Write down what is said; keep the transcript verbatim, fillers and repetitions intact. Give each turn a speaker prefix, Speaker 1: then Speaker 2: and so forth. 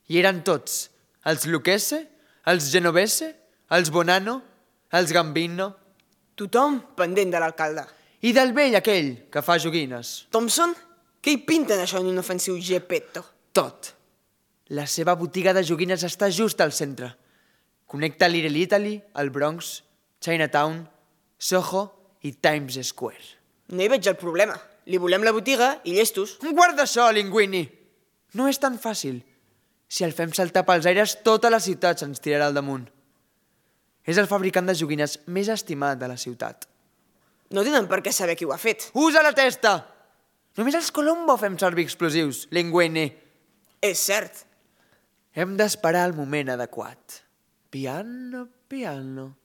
Speaker 1: I eren tots, els Lucchese, els Genovese, els Bonanno, els Gambino.
Speaker 2: Tothom pendent de l'alcalde.
Speaker 1: I del vell aquell que fa joguines.
Speaker 2: Thompson? Què hi pinten això en inofensiu Geppetto?
Speaker 1: Tot. La seva botiga de joguines està just al centre. Connecta Little Italy, el Bronx, Chinatown, Soho i Times Square.
Speaker 2: No hi veig el problema. Li volem la botiga i llestos.
Speaker 1: Guarda això, Linguini! No és tan fàcil. Si el fem saltar pels aires, tota la ciutat se'ns tirarà al damunt. És el fabricant de joguines més estimat de la ciutat.
Speaker 2: No tenen per què saber qui ho ha fet.
Speaker 1: Usa la testa! Només els Colombo fem servir explosius, Linguini.
Speaker 2: És cert.
Speaker 1: Hem d'esperar el moment adequat. Piano, piano.